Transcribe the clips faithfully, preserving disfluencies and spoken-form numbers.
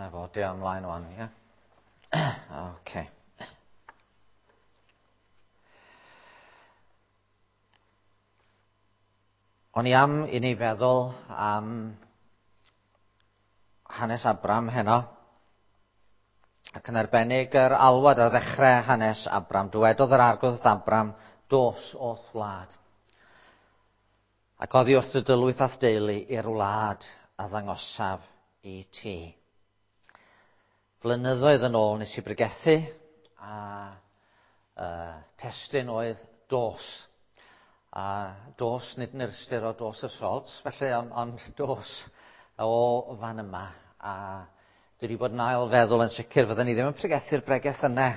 Na fo, di ymlaen wan, ie? Oce. O'n i am i ni feddwl am hanes Abram heno, ac yn arbennig yr alwad ar ddechrau hanes Abram. Dywedodd yr Arglwydd wrth Abram, dos o'th wlad. Ac oddi wrth y dylwyth a'th deulu i'r wlad a ddangosaf i ti. Flynyddoedd yn ôl nes i bregethu, a uh, testun oedd dos. A dos nid yn yr ystyr o dos of salt, felly ond on dos o fan yma. A dwi wedi bod yn ail feddwl yn sicr fydden ni ddim yn pregethu'r bregeth yna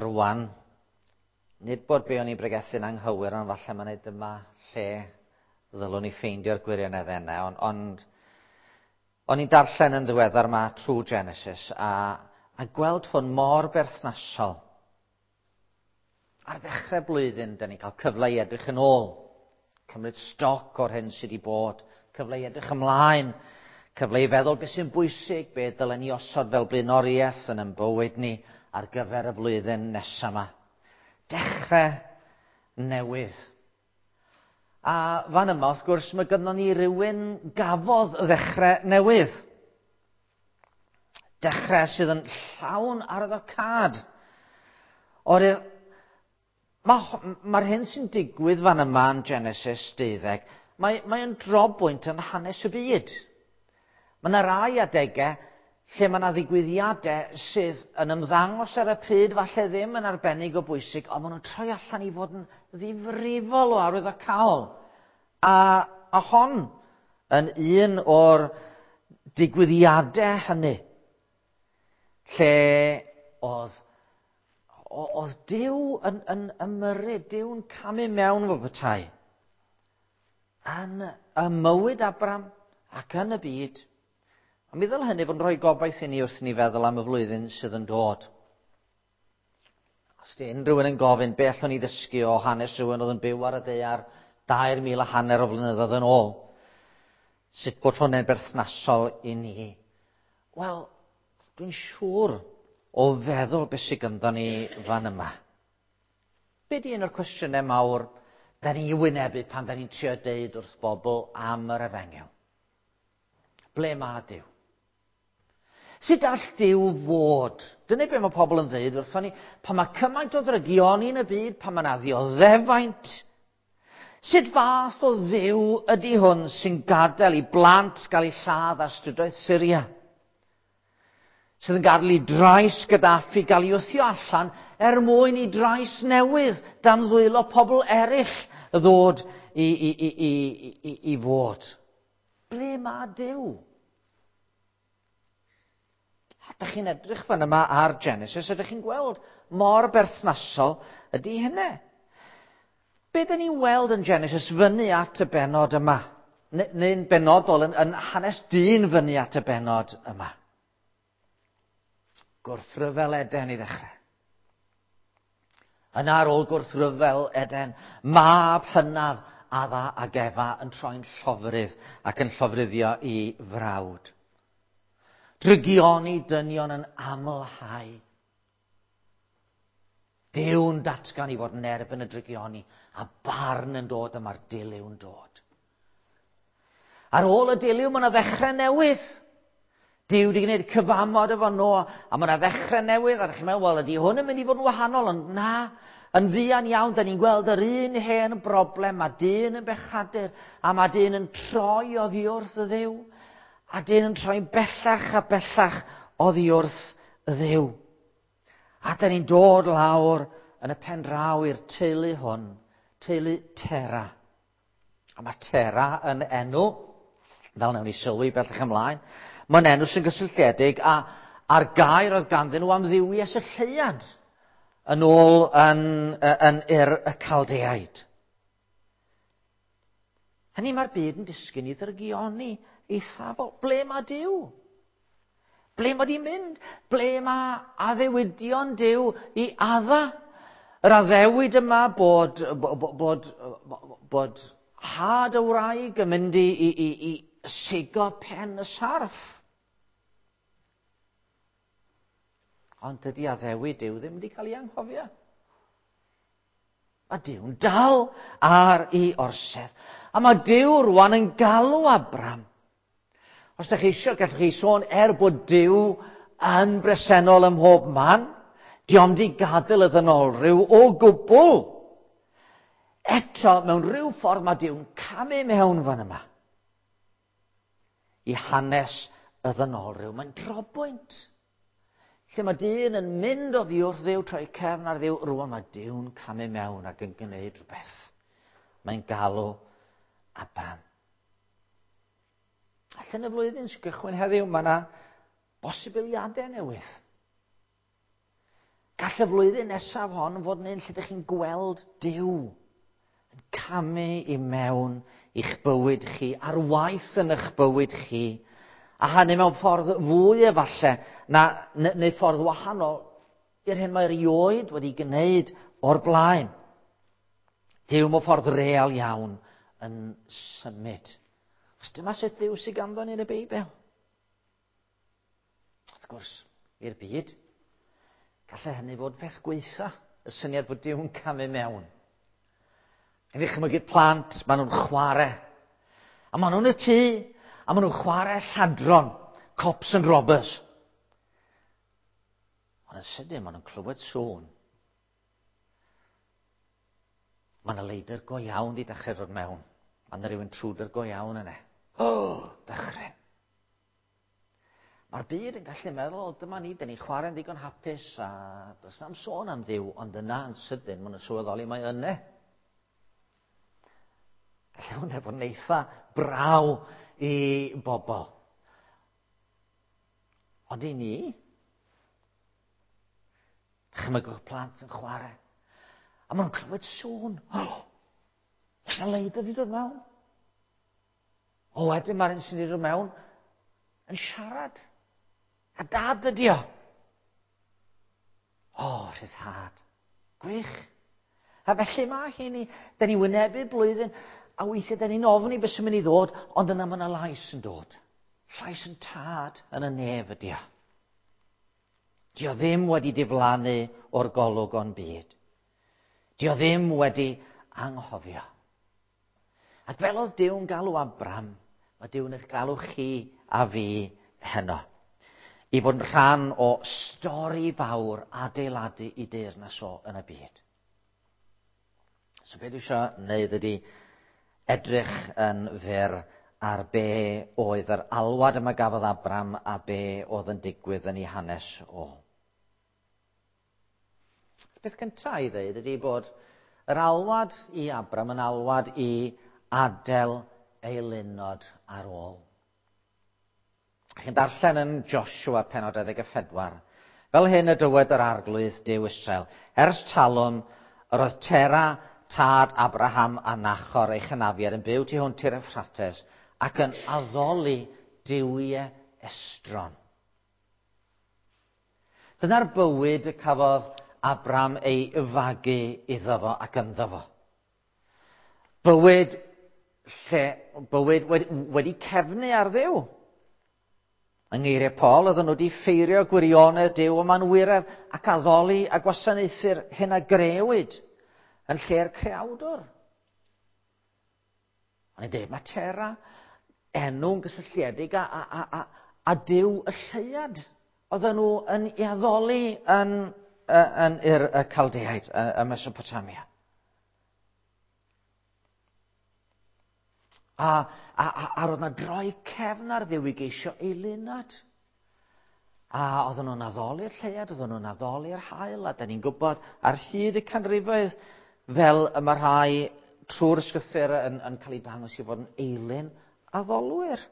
rwan. Nid bod be o'n i'n bregethu'n anghywir, ond falle mae'n neud yma lle ddylwn ni ffeindio'r gwirioneddau yna. Ond, ond o'n i'n darllen yn ddiweddar yma trwy Genesis a, a gweld hwn mor berthnasol. Ar ddechrau blwyddyn, da ni'n cael cyfle i edrych yn ôl, cymryd stoc o'r hyn sydd wedi bod, cyfle i edrych ymlaen, cyfle i feddwl beth sy'n bwysig, beth dylen ni osod fel blaenoriaeth yn ein bywyd ni ar gyfer y flwyddyn nesaf yma. Dechrau newydd. A fan yma, wrth gwrs, mae gynnon ni rywun gafodd ddechrau newydd. Dechrau sydd yn llawn arwyddocâd. Oherwydd Mae'r ma hyn sy'n digwydd fan yma yn Genesis deuddeg, mae, mae'n drobwynt yn hanes y byd. Mae yna rai adegau lle mae yna ddigwyddiadau sydd yn ymddangos ar y pryd, falle ddim yn arbennig o bwysig, ond maen nhw'n troi allan i fod yn ddifrifol o arwyddocaol. A, a hon yn un o'r digwyddiadau hynny, lle oedd oedd Duw yn, yn ymyrryd, Duw'n camu mewn fel petai yn y mywyd Abram ac yn y byd. A mi ddyle hynny fod yn rhoi gobaith i ni wrth i ni feddwl am y flwyddyn sydd yn dod. Os di unrhyw un yn gofyn be allwn ni ddysgu o hanes rhywun oedd yn byw ar y ddaear dair mil a hanner o flynyddoedd yn ôl, sut bod hwnna'n berthnasol i ni? Wel, dwi'n siŵr o feddwl beth sydd ganddo ni fan yma. Be di un o'r cwestiynau mawr da ni'n wynebu pan da ni'n trio deud wrth bobl am yr efengyl? Ble mae Duw? Sut all Duw fod? Dyna be mae pobl yn dweud wrthon ni, pan mae cymaint o ddrygioni yn y byd, pan mae yna ddioddefaint. Sut fath o Dduw ydy hwn sy'n gadael i blant gael eu lladd ar strydoedd Syria? Sydd yn gadael i drais Gaddafi gael ei wthio allan er mwyn i drais newydd dan ddwylo pobl eraill ddod i, i, i, i, i, i fod. Ble mae Duw? A dych chi'n edrych fan yma ar Genesis, ydych chi'n gweld mor berthnasol ydy hynny. Be dyn ni'n weld yn Genesis fyny at y bennod yma? Neu'n benodol yn, yn hanes dyn fyny at y bennod yma? Gwrthryfel Eden i ddechrau. Yna ar ôl gwrthryfel Eden, mab hynaf Adda ac Efa yn troi'n llofrudd ac yn llofruddio i frawd. Drygioni dynion yn amlhau. Duw'n datgan i fod yn erbyn y drygioni, a barn yn dod a mae'r dilyw'n dod. Ar ôl y dilyw mae yna ddechrau newydd. Duw wedi gwneud cyfamod efo Noa, a mae yna ddechrau newydd, a chi'n meddwl, wel, ydy hwn yn mynd i fod yn wahanol, ond na, yn fuan iawn, da ni'n gweld yr un hen broblem, mae dyn yn bechadur, a mae dyn yn troi oddi wrth y Dduw, a dyn yn troi'n bellach a bellach oddi wrth y Dduw. A da ni'n dod lawr yn y pen draw i'r teulu hwn, teulu Tera. A mae Tera yn enw, fel wnawn ni sylwi bellach ymlaen, mae'n enw sy'n gysylltiedig a, a'r gair oedd ganddyn nhw am dduwies y lleuad yn ôl yn, yn Ur y Caldeaid. Hynny mae'r byd yn disgyn i ddrygioni eithafol. Ble mae Duw? Ble mae di mynd? Ble mae addewidion Duw i adda? Yr addewid yma bod, bod, bod, bod had y wraig yn mynd i, i, i, i sigo pen y sarff. Ond dydy addewid Duw ddim wedi cael ei anghofio. Mae Duw'n dal ar ei orsedd. A mae Duw rwan yn galw Abram. Os ydych chi eisiau, gallwch chi sôn er bod Duw yn bresennol ym mhob man, dio'm di gadael y ddynolryw o gwbl. Eto, mewn rhyw ffordd mae Duw'n camu mewn fan yma i hanes y ddynolryw. Mae'n drobwynt. Lle mae dyn yn mynd oddi wrth Dduw, troi cefn ar Dduw, rwan mae Duw'n camu mewn ac yn gwneud rhywbeth. Mae'n galw Abram. Allan y flwyddyn sy'n gychwyn heddiw, mae yna bosibiliadau newydd. Gall y flwyddyn nesaf hon fod yn un lle ydych chi'n gweld Duw yn camu i mewn i'ch bywyd chi, ar waith yn eich bywyd chi, a hynny mewn ffordd fwy efallai, na, neu ffordd wahanol i'r hyn mae erioed wedi gwneud o'r blaen. Duw mewn ffordd real iawn yn symud. Os dyma sut Dduw sydd ganddo ni yn y Beibl. Wrth gwrs, i'r byd, gallai hynny fod peth gweitha, y syniad bod Duw'n camu mewn. Yn ddychmygu'r plant, maen nhw'n chwarae. A maen nhw'n y tŷ, a maen nhw'n chwarae lladron, cops and robbers. Ond yn sydyn, maen nhw'n clywed sŵn. Mae yna leidr go iawn wedi dechrau dod mewn. Mae yna rhyw intruder go iawn yna. O, oh, dychryn. Mae'r byd yn gallu meddwl, dyma ni, dyn ni'n chwarae'n ddigon hapus, a does na'm sôn am Dduw, ond yna yn sydyn, maen nhw'n sylweddoli mae yna. Gallai hwnna fod yn eitha braw i bobl. Ond i ni, chymygwch plant yn chwarae, a maen nhw'n clywed sŵn. Oh, oes 'na leidr wedi dod mewn? O, wedyn mae'r un sydd wedi dod mewn yn siarad. A dad ydi o. O, rhyddhad. Gwych. A felly mae hi ni, da ni wynebu blwyddyn, a weithiau da ni'n ofni beth sy'n mynd i ddod, ond yna mae yna lais yn dod. Llais yn tad yn y nef ydi o. Di o ddim wedi diflannu o'r golwg o'n byd. Di o ddim wedi anghofio. Ac fel oedd Duw'n galw Abram, mae Duw'n eich galw chi a fi heno. I fod yn rhan o stori fawr adeiladu i deyrnas o yn y byd. So beth dwi eisiau wneud ydy edrych yn fyr ar be oedd yr alwad yma gafodd Abram a be oedd yn digwydd yn ei hanes o. Beth cyntaf i ddweud ydy bod yr alwad i Abram yn alwad i adael eilunod ar ôl. Chi'n darllen yn Joshua pennod dau ddeg a phedwar. Fel hyn y dywed yr Arglwydd Duw Israel, ers talwm yr oedd Tera, tad Abraham a Nachor ei chynafiad yn byw tu hwnt i'r Euphrates ac yn addoli duwiau estron. Dyna'r bywyd y cafodd Abram ei fagu iddo fo ac ynddo fo. Bywyd lle, bywyd wedi, wedi cefnu ar Dduw. Yng ngeiriau Paul, oedden nhw wedi ffeirio gwirionedd Duw o manwyredd ac addoli a gwasanaethu'r hyn a grëwyd yn lle'r creawdwr. O'n i'n dweud, mae Tera enw'n gysylltiedig a, a, a, a, a Duw y lleuad. Oedden nhw yn ei addoli yn, yn, yn, y Caldeaid, y Mesopotamia. A, a, a, a roedd yna droi cefn ar Dduw i geisio eilunad. A oedden nhw'n addoli'r lleuad, oedden nhw'n addoli'r haul, a da ni'n gwybod ar hyd y canrifoedd fel y mae rhai trwy'r ysgrythur yn, yn cael ei dangos i fod yn eilun addolwyr.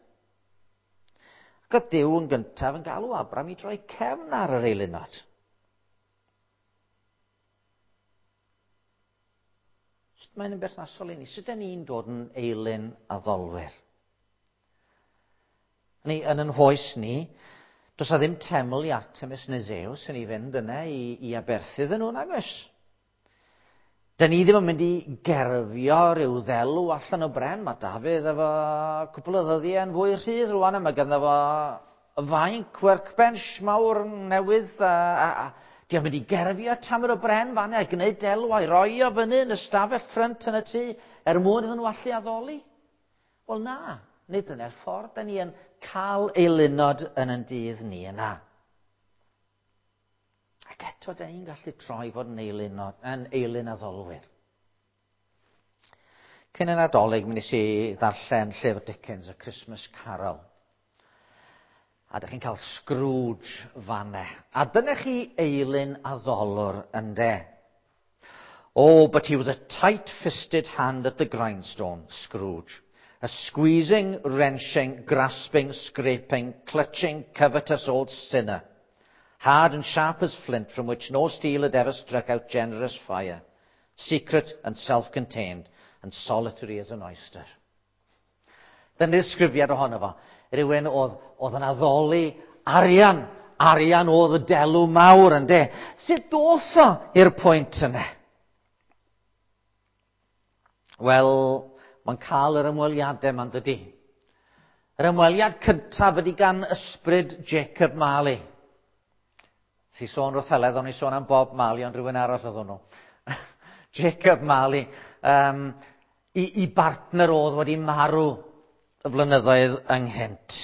Ac oedd Duw yn gyntaf yn galw Abram i droi cefn ar yr eilunod. Sut mae'n yn berthnasol i ni? Sut y'n ni'n dod yn eilun addolwyr? Ni, yn yn hoes ni, does na ddim teml i Artemis neu Zeus yn ei fynd yna i, i aberthu iddyn nhw, nag oes? Da ni ddim yn mynd i gerfio rhyw ddelw allan o bren. Mae Dafydd efo cwpl o ddyddiau yn fwy rhydd rwan, a mae ganddo fo fainc workbench mawr newydd a, a, a di o'n mynd i gerfio tamed o bren fan a gwneud delw a'i roi o fyny yn y stafell ffrynt yn y tŷ er mwyn iddyn nhw allu addoli? Wel na, nid dyna'r ffordd da ni yn cael eilunod yn yn dydd ni yna. Ac eto, da ni'n gallu troi fod yn eilunod, yn eilun addolwyr. Cyn y Nadolig, mi nes i ddarllen llyfr Dickens, A Christmas Carol. A dych chi'n cael Scrooge fanne. A dyna chi eilun addolwr ynde. Oh, but he was a tight-fisted hand at the grindstone, Scrooge. A squeezing, wrenching, grasping, scraping, clutching, covetous old sinner. Hard and sharp as flint, from which no steel had ever struck out generous fire. Secret and self-contained, and solitary as an oyster. Dyna ddisgrifiad ohono fo. Rhywun oedd, oedd yn addoli arian. Arian oedd y delw mawr, ynde. Sut doth o i'r pwynt yna? Wel, mae'n cael yr ymweliadau ma'n dydy. Yr ymweliad cyntaf ydy gan ysbryd Jacob Marley. Si sôn wrth Heledd, o'n i sôn am Bob Marley, ond rhywun arall oedd hwnnw. Jacob Marley, um, i, i bartner oedd wedi marw y flynyddoedd ynghynt.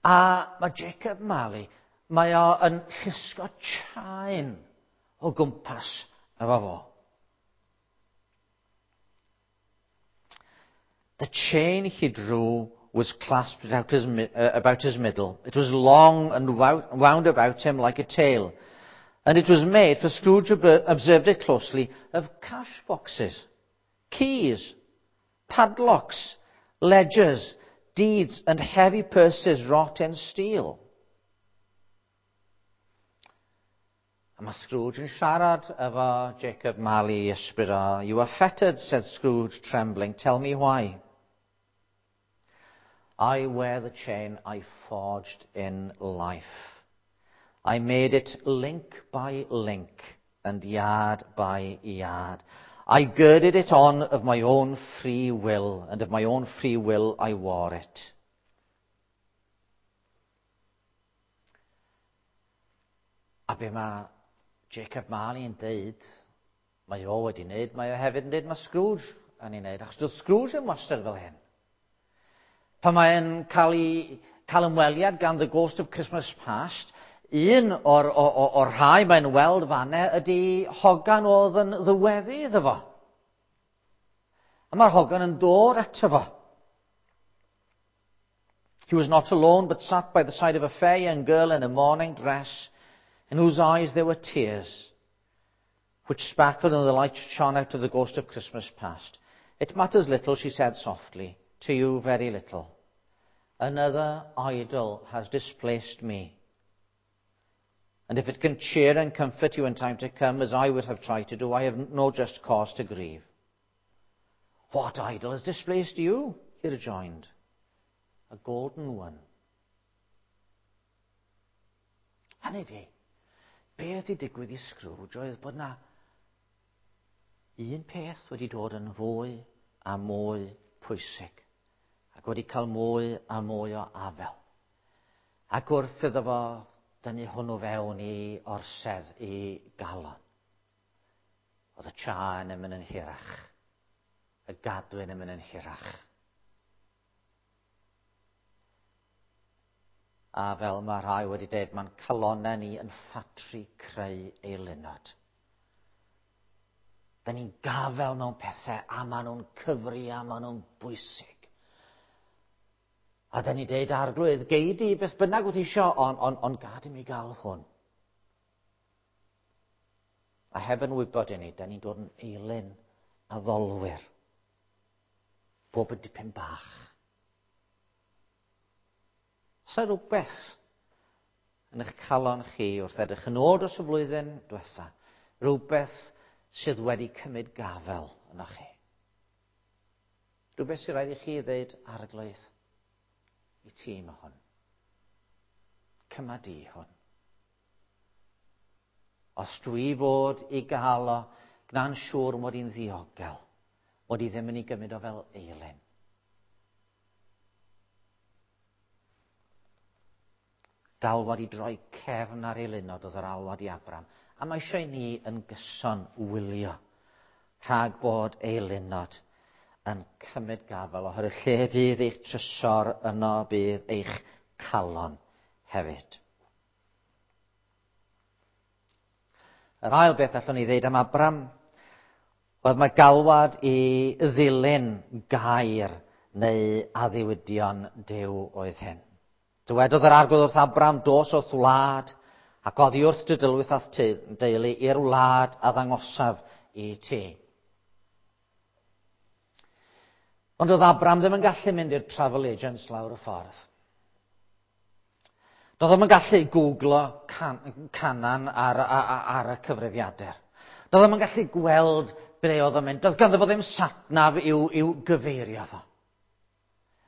A mae Jacob Marley, mae o yn llusgo chain o gwmpas efo fo. The chain he drew was clasped about his, uh, about his middle. It was long and wound about him like a tail. And it was made, for Scrooge observed it closely, of cash boxes, keys, padlocks, ledgers, deeds, and heavy purses wrought in steel. A mae Scrooge yn siarad efo Jacob Marley ysbryd o. You are fettered, said Scrooge, trembling. Tell me why. I wear the chain I forged in life. I made it link by link and yard by yard. I girded it on of my own free will, and of my own free will I wore it. A be mae Jacob Marley yn deud, mae o wedi wneud, mae o hefyd yn deud mae Scrooge yn ei wneud, achos doedd Scrooge yn wastad fel hyn. Pan mae'n cael, ei, cael ymweliad gan The Ghost of Christmas Past, un o'r, or, or, or rhai mae'n weld fanne ydy hogan oedd yn ddyweddu iddo fo. A mae'r hogan yn dod ato fo. He was not alone, but sat by the side of a fair young girl in a morning dress, in whose eyes there were tears, which sparkled in the light shone out of the ghost of Christmas past. It matters little, she said softly, to you very little. Another idol has displaced me. And if it can cheer and comfort you in time to come, as I would have tried to do, I have no just cause to grieve. What idol has displaced you? He rejoined. A golden one. Hynny di, beth i digwydd i Scrooge oedd bod na un peth wedi dod yn fwy a mwy pwysig ac wedi cael mwy a mwy o afel. Ac wrth iddo fo dynnu hwnnw fewn i orsedd i galon. Oedd y chain yn mynd yn hirach. Y gadwyn yn mynd yn hirach. A fel mae rhai wedi dweud, mae'n calonnau ni yn ffatri creu eilunod. Da ni'n gafel mewn pethau a maen nhw'n cyfri a maen nhw'n bwysig. A da ni'n deud, Arglwydd, gei di beth bynnag wyt ti isio, ond on, on gad i mi gael hwn. A heb yn wybod i ni, da ni'n dod yn eilun addolwyr. Bob yn dipyn bach. Sa rhywbeth yn eich calon chi wrth edrych yn ôl dros y flwyddyn diwetha, rhywbeth sydd wedi cymryd gafel yno chi. Rhywbeth sydd rhaid i chi ddeud, Arglwydd, i ti mae hwn. Cyma di hwn. Os dwi fod i gael o, gna'n siŵr mod i'n ddiogel, mod i ddim yn ei gymryd o fel eilun. Galwad i droi cefn ar eilunod oedd yr alwad i Abram. A mae eisiau ni yn gyson wylio rhag bod eilunod yn cymryd gafael, oherwydd lle fydd eich trysor yno bydd eich calon hefyd. Yr ail beth allwn ni ddeud am Abram oedd mae galwad i ddilyn gair neu addewidion Duw oedd hyn. Dywedodd yr Arglwydd wrth Abram, dos o'th wlad ac oddi wrth dy dylwyth a'th deulu i'r wlad a ddangosaf i ti. Ond oedd Abram ddim yn gallu mynd i'r travel agents lawr y ffordd. Doedd o'm yn gallu googlo can, Canan ar, ar, ar y cyfrifiadur. Doedd o'm yn gallu gweld ble oedd o'n mynd. Doedd ganddo fo ddim satnav i'w, i'w gyfeirio fo.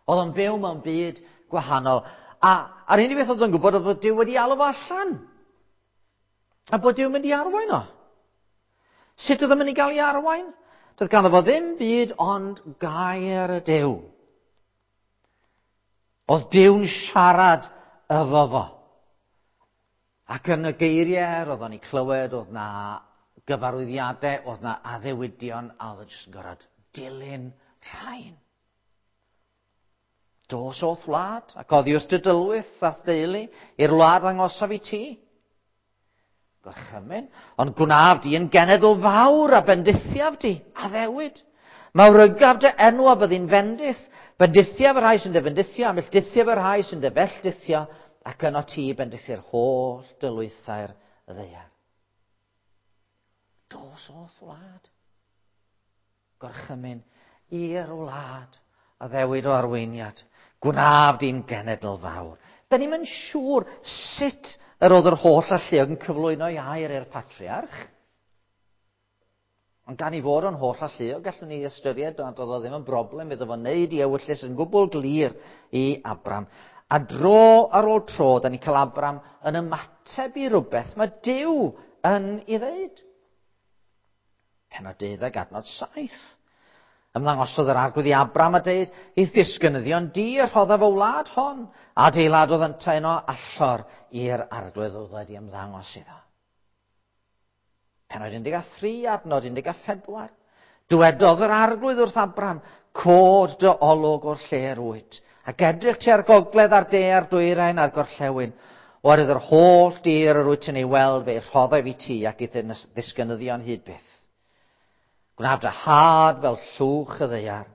Oedd o'n byw mewn byd gwahanol. A, a'r unig beth oedd o'n gwybod oedd bod Duw wedi alw fo allan. A bod Duw yn mynd i arwain o. Sut oedd o'n mynd i gael ei arwain? Doedd ganddo fo ddim byd ond gair y Duw. Oedd Duw'n siarad efo fo. Ac yn y geiriau oedd o'n ei clywed, oedd na gyfarwyddiadau, oedd na addewidion, a oedd o'n jyst yn gorfod dilyn rhain. Dos o'th wlad, ac oddi wrth dy dylwyth a'th deulu, i'r wlad ddangosaf i ti. Gorchymyn, ond gwnaf di yn genedl fawr a bendithiaf di, addewid. Mawrygaf dy enw a byddi'n fendith, bendithiaf y rhai sy'n dy fendithio, a melldithiaf y rhai sy'n dy felldithio, ac yno ti bendithi'r holl dylwythau'r ddaear. Dos o'th wlad. Gorchymyn i'r wlad, addewid o arweiniad. Gwnaf di'n genedl fawr. Da ni'm yn siŵr sut yr oedd yr holl alluog yn cyflwyno ei air i'r patriarch. Ond gan i fod o'n holl alluog, gallwn ni ystyried nad oedd o ddim yn broblem iddo fo wneud i ewyllys yn gwbl glir i Abram. A dro ar ôl tro, da ni cael Abram yn ymateb i rhywbeth mae Duw yn ei ddeud. Pennod deuddeg adnod saith. Ymddangosodd yr Arglwydd i Abram a deud, i'th ddisgynyddion di y rhoddaf y wlad hon. Adeiladodd yntau yno allor i'r Arglwydd oedd wedi ymddangos iddo. Pennod un deg a thri, adnod un deg a phedwar. Dywedodd yr Arglwydd wrth Abram, cod dy olwg o'r lle yr wyt, ac edrych tua'r gogledd a'r de a'r dwyrain a'r gorllewin. Oherwydd yr holl dir yr wyt yn ei weld fe'i rhoddaf i ti ac i'th ddisgynyddion hyd byth. Gwnaf dy had fel llwch y ddaear.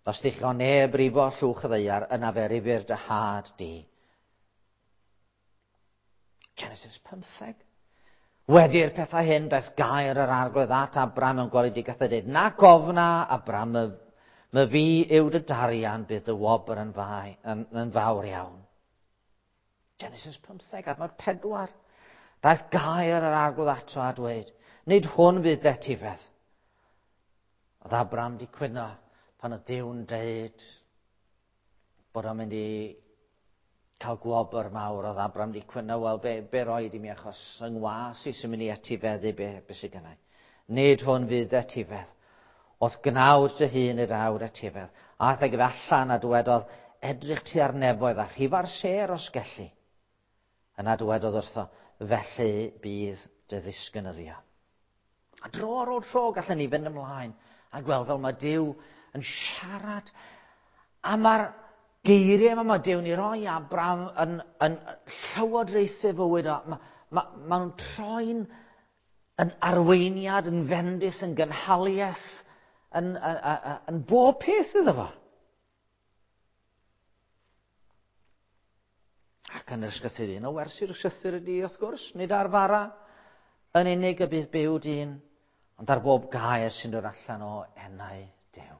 Os ddichon neb rifo llwch y ddaear, yna fe rifir dy had di. Genesis pymtheg. Wedi'r pethau hyn, daeth gair yr Arglwydd at Abram mewn gweledigaeth a dweud, na gofna, Abram, my, my fi yw dy darian, bydd dy wobr yn, fai, yn, yn fawr iawn. Genesis pymtheg, adnod pedwar. Daeth gair yr Arglwydd ato a dweud, nid hwn fydd dy etifedd. Oedd Abram di cwyno pan oedd Duw'n deud bod o'n mynd i cael gwobr mawr. Oedd Abram di cwyno, wel, be, be roed i mi achos yng ngwas i sy'n mynd i etifeddu be, be sydd gennau. Nid hwn fydd dy etifedd. Oedd gnawd dy hun i'r awr etifedd. Aeth ag ef allan a dywedodd, edrych tua'r nefoedd a rhifa'r sêr os gelli. Yna dywedodd wrtho, felly bydd dy ddisgynyddion. A dro ar ôl tro gallen ni fynd ymlaen a gweld fel mae Duw yn siarad. A mae'r geiriau yma mae Duw'n ei roi Abram yn, yn llywodraethu fywyd o. Mae, ma, ma nhw'n troi'n yn arweiniad, yn fendith, yn gynhaliaeth, yn, yn, yn, yn bob peth iddo fo. Ac yn yr ysgrythur, un o wersi'r ysgrythur ydy, wrth gwrs, nid ar fara yn unig y bydd byw dyn, ond ar bob gair sy'n dod allan o enau Duw.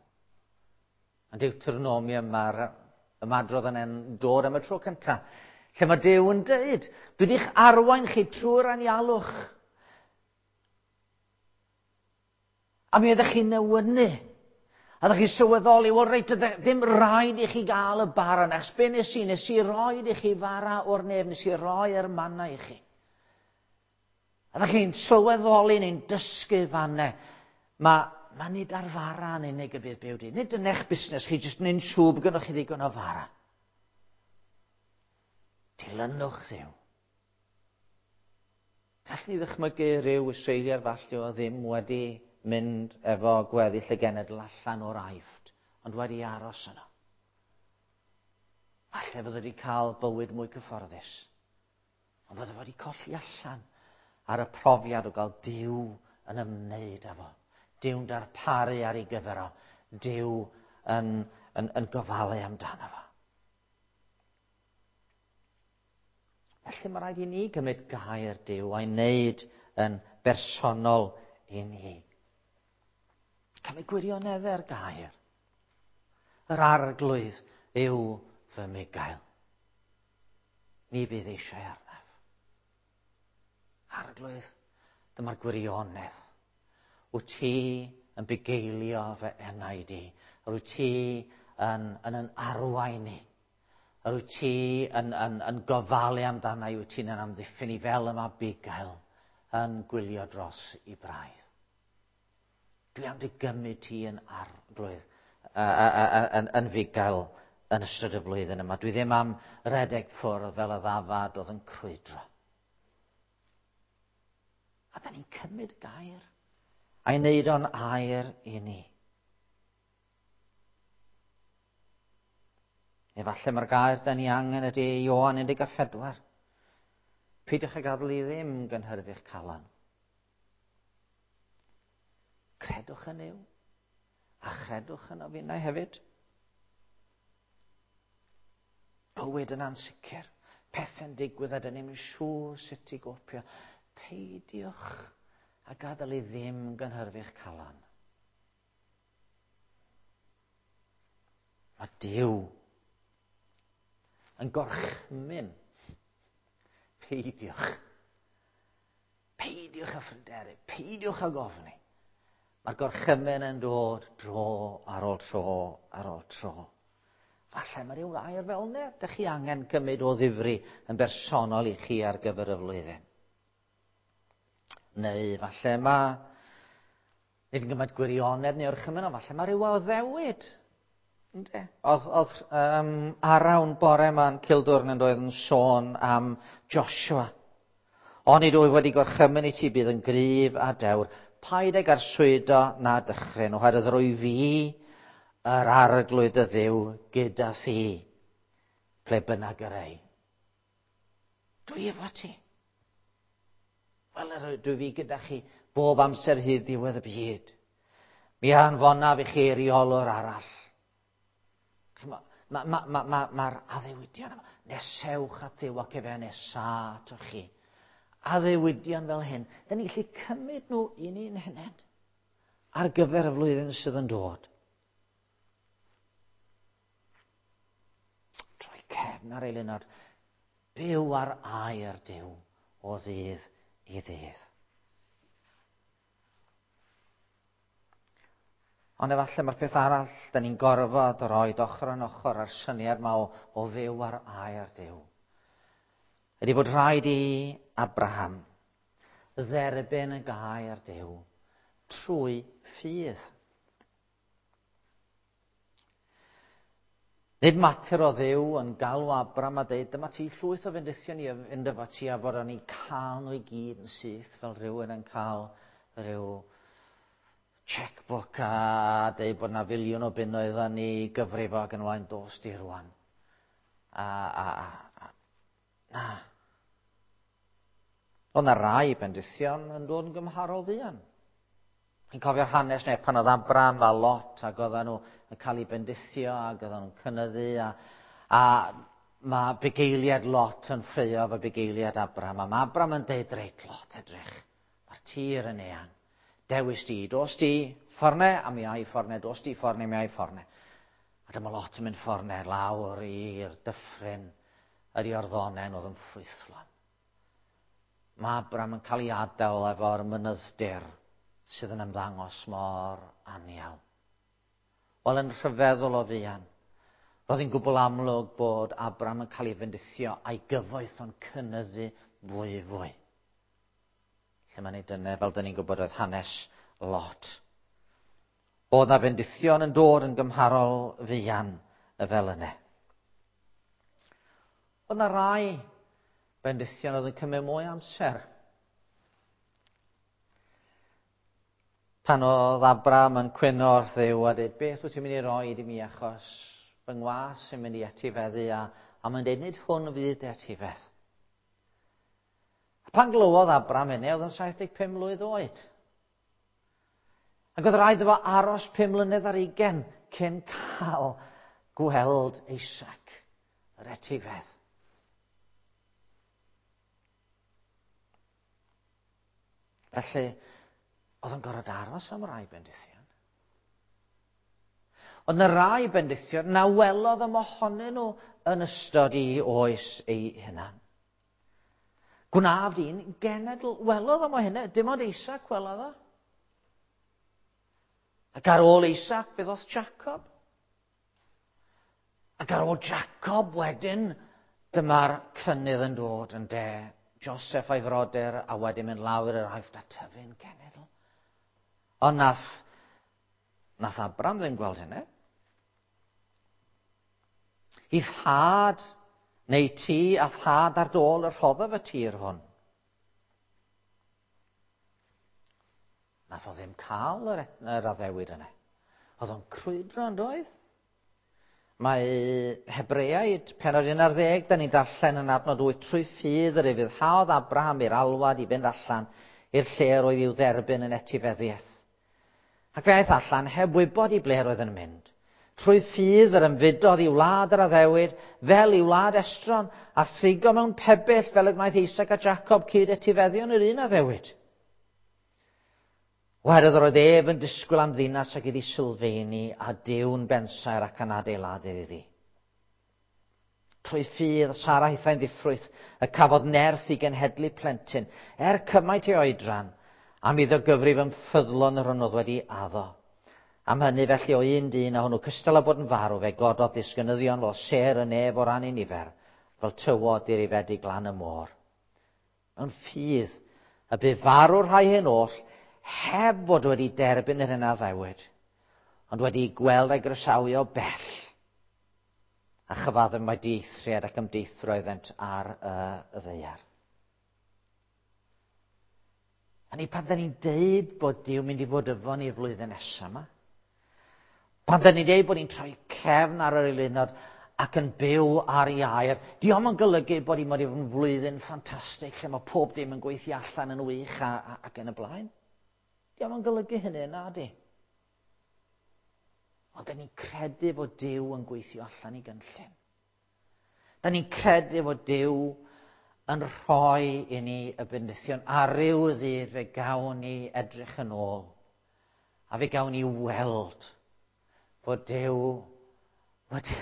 Yn Deuteronomium mae'r ymadrodd yn dod am y tro cyntaf, lle mae Duw yn dweud, dwi wedi'ch arwain chi trwy'r anialwch. A mi ydych chi'n newynu. A ydych chi'n sylweddoli, wel reit, ddim rhaid i chi gael y bara yna, achos be nes i, nes i roed i chi fara o'r nef, nes i roi'r manna i chi. A ydych chi'n sylweddoli neu'n dysgu fanne. Mae, mae nid ar fara yn unig y bydd byw di. Nid yn eich busnes chi, jyst neu'n siŵr bod gennych chi ddigon o fara. Dilynwch Dduw. Gallwn ni ddychmygu rhyw Israeliad falle o ddim wedi mynd efo gweddill y genedl allan o'r Aifft, ond wedi aros yno. Falle fydde wedi cael bywyd mwy cyfforddus, ond fydde wedi colli allan ar y profiad o gael Duw yn ymwneud â fo. Duw'n darparu ar ei gyfer o. Duw yn, yn, yn gofalu amdano fo. Felly mae rhaid i ni gymryd gair Duw a'i wneud yn bersonol i ni. Cymryd gwirioneddau'r gair. Yr Arglwydd yw fy mugail. Ni bydd eisiau arnaf. Arglwydd, dyma'r gwirionedd. Wyt ti yn bugeilio fy enaid i. Yr wyt ti yn, yn, yn arwain i. Yr wyt ti yn, yn, yn gofalu amdana i, wyt ti'n yn amddiffyn i fel y mae bugail yn gwylio dros i braidd. Dwi am dy gymryd ti yn Arglwydd, yn, yn fugail yn ystod y flwyddyn yma. Dwi ddim am redeg ffwrdd fel y ddafad oedd yn crwydro. A da ni'n cymryd gair a'i wneud o'n air i ni. Efallai mae'r gair da ni angen ydy Ioan un deg pedwar. Peidiwch â gadael i ddim gynhyrfu'ch calon. Credwch yn Nuw, a chredwch yno finnau hefyd. Bywyd yn ansicr, pethau'n digwydd a dyn ni'm yn siŵr sut i gopio. Peidiwch a gadael i ddim gynhyrfu'ch calon. Mae Duw yn gorchymyn. Peidiwch. Peidiwch â phryderu, peidiwch â gofni. Mae'r gorchymyn yn dod dro ar ôl tro ar ôl tro. Falle mae rhyw air fel yna, dych chi angen cymryd o ddifri yn bersonol i chi ar gyfer y flwyddyn. Neu falle mae, nid yn gymaint gwirionedd neu orchymyn, ond falle mae rhyw addewid. Ynde? Oedd, oedd um, Arawn bore yma'n Cildwrn yn doedd yn sôn am Joshua. Onid wyf wedi gorchymyn i ti bydd yn gryf a dewr. Paid ag arswydo na dychryn, oherwydd rwy fi yr Arglwydd y Dduw gyda thi, ble bynnag yr ei. Dwi efo ti. Wel, dwi fi gyda chi bob amser hyd ddiwedd y byd. Mi anfonaf i chi eiriolwr arall. Mae'r ma, ma, ma, ma, ma addewidion yma. Nesewch at Dduw ac efe nesa atoch chi. Addewidion fel hyn. Dyn ni'n gallu cymryd nhw i ni'n hunain ar gyfer y flwyddyn sydd yn dod. Troi cefn ar eilunod. Byw ar air Duw o ddydd i ddydd. Ond efallai mae'r peth arall, da ni'n gorfod roed ochr yn ochr ar syniad yma o, o fyw ar air Duw. Ydy bod rhaid i Abraham dderbyn y gair Duw trwy ffydd. Nid mater o Dduw yn galw Abraham a dweud, dyma ti llwyth o fendithion i fynd efo ti a bod o'n i cael nhw i gyd yn syth fel rhywun yn cael rhyw checkbook a dweud bod yna filiwn o bunnoedd yn ei gyfrifo ac yn wain dos di rwan. A, a, a, a, na. Oedd yna rai bendithion yn dod yn gymharol fuan. Chi'n cofio'r hanes neu pan oedd Abraham a Lot ac oedden nhw yn cael eu bendithio ac oedden nhw'n cynyddu a, a mae bugeiliad Lot yn ffraeo efo bugeiliad Abraham a mae Abraham yn deud reit Lot edrych, mae'r tir yn eang. Dewis di, dos di fforne a mi ai fforne, dos di fforne, mi ai fforne. A dyma Lot yn mynd fforne lawr i'r dyffryn yr Iorddonen oedd yn ffrwythlon. Mae Abraham yn cael ei adael efo'r mynydd-dir sydd yn ymddangos mor anial. Wel, yn rhyfeddol o fuan, roedd hi'n gwbl amlwg bod Abraham yn cael ei fendithio a'i gyfoeth o'n cynyddu fwy fwy. Lle mae'n ei dyna, fel dyn ni'n gwybod, oedd hanes Lot. Oedd na fendithion yn dod yn gymharol fuan y fel yna. Oedd na rai bendithion oedd yn cymryd mwy amser. Pan oedd Abram yn cwyno wrth Dduw a dweud, beth wyt ti'n mynd i roi i mi achos fy ngwas sy'n mynd i etifeddu a, a mae'n dweud, nid hwn fydd dy etifedd. A pan glywodd Abram hynny, oedd yn saith deg pum mlwydd oed. Ac oedd rhaid iddo fo aros pum mlynedd ar ugain cyn cael gweld Isaac, yr etifedd. Felly, oedd o'n gorfod aros am rai bendithion. Ond y rai bendithion na welodd o mohonyn nhw yn ystod ei oes ei hunan. Gwnaf di'n genedl, welodd o mo hynny, dim ond Isaac welodd o. Ac ar ôl Isaac, fe ddoth Jacob. Ac ar ôl Jacob wedyn, dyma'r cynnydd yn dod yn de. Joseph a'i frodyr, a wedyn mynd lawr i'r Aifft a tyfu'n genedl. Ond nath, nath Abram ddim gweld hynny. I thad, neu ti a thad ar dôl y rhoddodd y tir hwn. Nath o ddim cael yr, yr addewid yna. Oedd o'n crwydro yn doedd? Mae Hebreaid, pennod un ar ddeg, da ni'n darllen yn adnod wyth, trwy ffydd yr ufuddhaodd Abraham i'r alwad i fynd allan i'r lle yr oedd i'w dderbyn yn etifeddiaeth. Ac fe aeth allan heb wybod i ble roedd yn mynd. Trwy ffydd yr ymfudodd i wlad yr addewid, fel i wlad estron, a thrigo mewn pebyll fel y gwnaeth Isaac a Jacob cyd etifeddion yr un addewid. Oherwydd yr oedd ef yn disgwyl am ddinas ac iddi sylfaeni a Duw'n bensaer ac yn adeiladydd iddi. Trwy ffydd Sara hithau'n ddiffrwyth y cafodd nerth i genhedlu plentyn, er cymaint ei oedran, am iddo gyfrif yn ffyddlon yr hwn oedd wedi addo. Am hynny felly o un dyn a hwnnw cystal â bod yn farw, fe gododd disgynyddion fel sêr y nef o ran ei nifer, fel tywod dirifedig lan y môr. Mewn ffydd y bu farw'r rhai hyn oll, heb fod wedi derbyn yr hyn a addewid, ond wedi gweld a'i groesawu o bell, a chyfaddef mai dieithriad ac ymdeithio oeddent ar y, y ddaear. A ni pan da ni'n deud bod Duw mynd i fod efo ni flwyddyn nesaf yma, pan da ni'n deud bod ni'n troi cefn ar yr eilunod ac yn byw ar ei air, dio'm yn golygu bod hi'n mynd i fod yn flwyddyn ffantastig lle mae pob dim yn gweithio allan yn wych a, a, ac yn y blaen. Dio'm yn golygu hynny, na di. Ond da ni'n credu fod Duw yn gweithio allan i gynllun. Da ni'n credu fod Duw yn rhoi i ni y bendithion. A ryw ddydd fe gawn ni edrych yn ôl. A fe gawn ni weld fod Duw wedi,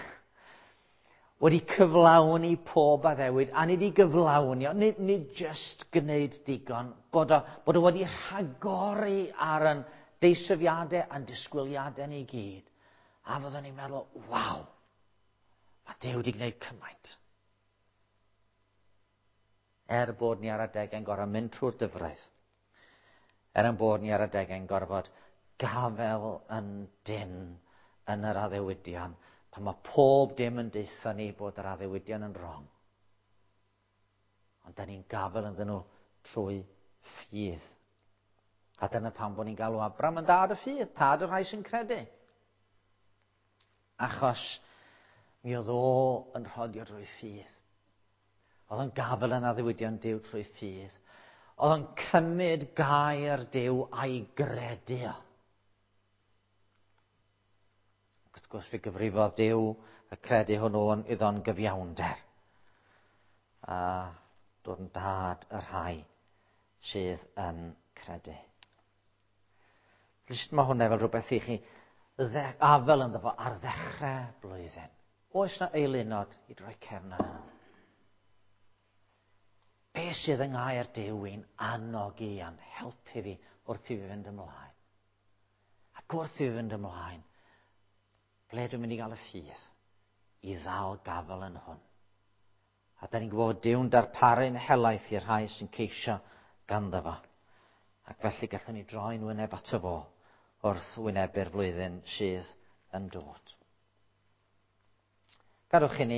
wedi cyflawni pob addewid. A nid i gyflawni, nid, nid just gwneud digon, bod o, bod o wedi rhagori ar yn deisyfiadau a'n disgwyliadau ni gyd. A fyddwn ni'n meddwl, waw, mae Duw wedi gwneud cymaint. Er bod ni ar adegau'n gorfod mynd trwy'r dyfroedd, er yn bod ni ar adegau'n gorfod gafael yn dynn yn yr addewidion, pan mae pob dim yn deutha ni bod yr addewidion yn wrong. Ond da ni'n gafael ynddyn nhw trwy ffydd. A dyna pam bod ni'n galw Abram yn dad y ffydd, tad y rhai sy'n credu. Achos mi oedd o yn rhodio drwy ffydd. Oedd o'n gafael yn addewidion Duw trwy ffydd. Oedd o'n cymryd gair Duw a'i gredu o. Wrth gwrs fe gyfrifodd Duw y credu hwnnw iddo'n gyfiawnder. A dod yn dad y rhai sydd yn credu. Felly mae hwnna fel rhywbeth i chi afel ynddo fo ar ddechrau blwyddyn. Oes na eilunod i droi cefn arnyn nhw? Be sydd yng ngair Duw i'n annog i a'n helpu fi wrth i fi fynd ymlaen? Ac wrth i fi fynd ymlaen, ble dwi'n mynd i gael y ffydd i ddal gafel yn hwn? A da ni'n gwybod Duw'n darparu'n helaeth i'r rhai sy'n ceisio ganddo fo. Ac felly gallwn ni droi'n wyneb ato fo wrth wynebu'r flwyddyn sydd yn dod. Gadwch i ni